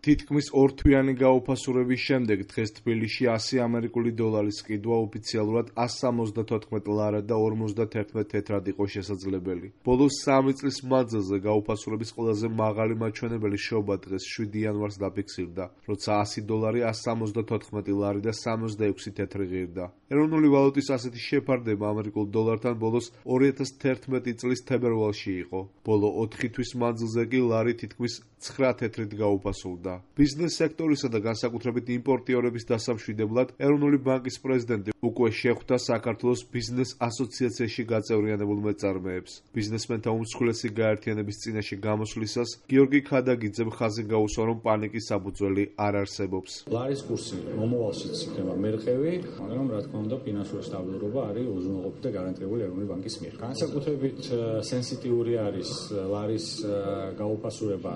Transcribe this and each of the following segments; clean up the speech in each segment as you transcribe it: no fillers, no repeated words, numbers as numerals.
თითქმის ორთვიანი გაუფასურების შემდეგ დღეს თბილისში 100 ამერიკული დოლარის ყიდვა ოფიციალურად 174 ლარა და 51 თეთრად იყო შესაძლებელი. ბოლოს 3 წლის მანძილზე გაუფასურების ყველაზე მაღალი მაჩვენებელი შობა დღეს 7 იანვარს დაფიქსირდა, როცა 100 დოლარი 174 ლარი და 66 თეთრი ღირდა. ეროვნული ვალუტის ასეთი შეფარდება ამერიკულ დოლართან ბოლოს 2011 წლის თებერვალში იყო. ბოლო 4 თვის მანძილზე კი ლარი თითქმის 9 თეთრით გაუფასურდა. ბიზნეს სექტორისა და განსაკუთრებით იმპორტიორების დასამშვიდებლად ეროვნული ბანკის პრეზიდენტი უკვე შეხვდა საქართველოს ბიზნეს ასოციაციაში გაწევრიანებულ მეწარმეებს. ბიზნესმენთა უმსხვილესი გაერთიანების წინაშე გამოსვლისას გიორგი ქადაგიძემ ხაზი გაუსვა, რომ პანიკის საფუძველი არ არსებობს. ლარის კურსი მომავალშიც იქნება მერყევი, მაგრამ რა თქმა უნდა ფინანსური სტაბილურობა არის უზრუნველყოფილი და გარანტირებული ეროვნული ბანკის მიერ. განსაკუთრებით სენსიტიური არის ლარის გაუფასურება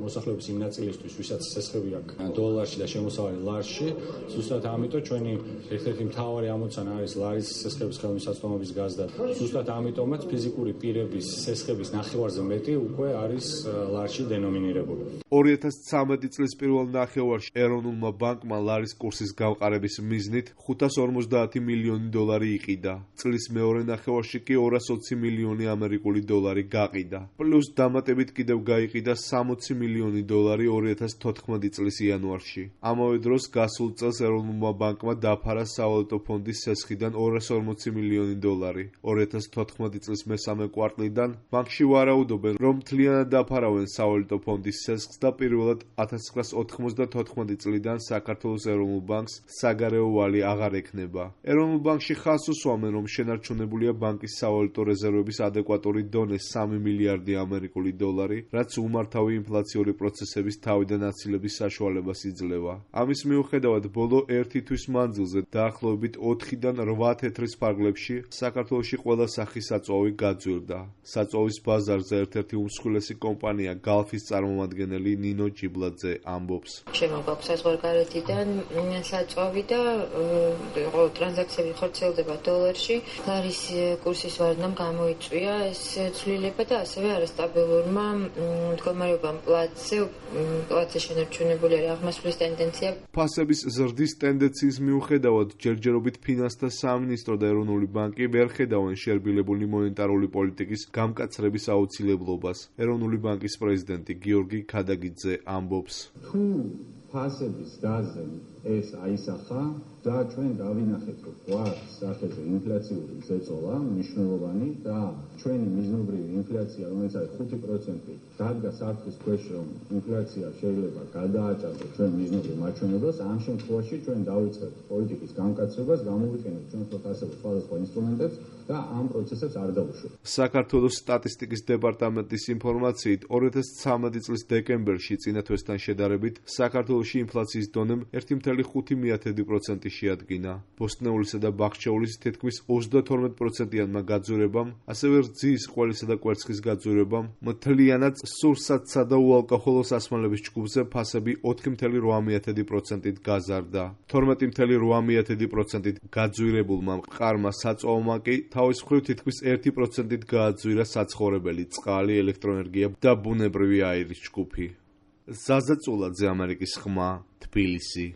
მოსახლეობის იმ ნაწილისთვის, ვისაც სესხები აქვს დოლარში და შემოსავალი ლარში. ზუსტად ამიტომ ჩვენი ერთ-ერთი მთავარი ამოცანა არის ლარის სესხების ხელმისაწვდომობის გაზრდა. ზუსტად ამიტომაც ფიზიკური პირების სესხების ნახევარზე მეტი უკვე არის ლარში დენომინირებული. 2013 წლის პირველ ნახევარში ეროვნულმა ბანკმა ლარის კურსის გამყარების მიზნით 550 მილიონი დოლარი იყიდა. წლის მეორე ნახევარში კი 220 მილიონი ამერიკული დოლარი გაყიდა. პლუს დამატებით კიდევ გაიყიდა 60 მილიონი დოლარი 2014 წლის იანვარში. ამავე დროს გასულ წელს ეროვნულმა ბანკმა დაფარა სავალუტო ფონდის სესხიდან 240 მილიონი დოლარი. 2014 წლის მესამე კვარტლიდან ბანკში ვარაუდობენ, რომ მთლიანად დაფარავენ სავალუტო ფონდის სესხს და პირველად 1994 წლიდან საქართველოს ეროვნულ ბანკს საგარეო ვალი აღარ ექნება. ეროვნულ ბანკში ხაზს უსვამენ, რომ შენარჩუნებულია ბანკის სავალუტო რეზერვების ადეკვატური დონე 3 მილიარდი ამერიკული დოლარი, რაც უმართავი ინფლაციური პროცესების თავიდან აცილების საშუალებას იძლევა. ამის მიუხედავად, ბოლო 1 თვის მანძილზე დაახლოებით 4-დან 8 თეთრის ფარგლებში საქართველოში ყველა სახის საწვავი გაძვირდა. საწვავის ბაზარზე ერთ-ერთი უმსხვილესი კომპანია გალფის წარმომადგენელი ნინო ჯიბლაძე ამბობს. შემოგვაქვს საზღვარგარეთიდან საწვავი და ტრანზაქციები ხორციელდება დოლარში. ლარის კურსის ვარდნამ გამოიწვია ეს ცვლილება და ასევე არასტაბილურმა მდგომარეობამ პლაცზე შენარჩუნებული აღმასვლის ტენდენცია. ფასების ზრდის ტენდენციის მიუხედავად, ჯერჯერობით ფინანსთა სამინისტრო და ეროვნული ბანკი ვერ ხედავენ შერბილებული მონეტარული პოლიტიკის გამკაცრების აუცილებლობას. ეროვნული ბანკის პრეზიდენტი გიორგი ქადაგიძე ამბობს. თუ ფასების დაზემ ეს აისახა და ჩვენ დავინახეთ, რომ გვაქვს სახეზე ინფლაციური ზეწოლა მნიშვნელოვანი და ჩვენი მიზნობრივი ინფლაცია, რომელიც არის 5%, დადგა საფრთხის ქვეშ, რომ ინფლაცია შეიძლება გადააჭარბოს ჩვენ მიზნობრივ მაჩვენებლებს. ამ შემთხვევაში ჩვენ დავიწყებთ პოლიტიკის გამკაცრებას, გამოვიყენებთ ჩვენ ფასების სხვადასხვა ინსტრუმენტებს და ამ პროცესებს არ დავუშვებთ. საქართველოს სტატისტიკის დეპარტამენტის ინფორმაციით 2013 წლის დეკემბერში წინა თვესთან შედარებით საქართველოში ინფლაციის დონემ 1,5% შეადგინა. ბოსტნეულისა და ბახჩეულის თითქმის 32%-იანმა გაძვირებამ, ასევე რძის, ყველისა და კვერცხის გაძვირებამ, მთლიანად სურსათსა და უალკოჰოლო სასმელების ჯგუფზე ფასები 4,8%-ით გაზარდა. 12,8%-ით გაძვირებულმა მყარმა საწვავმა კი თავის მხრივ თითქმის 1%-ით გააძვირა საცხოვრებელი, წყალი, ელექტროენერგია და ბუნებრივი აირის ჯგუფი. ზაზა წულაძე, ამერიკის ხმა, თბილისი.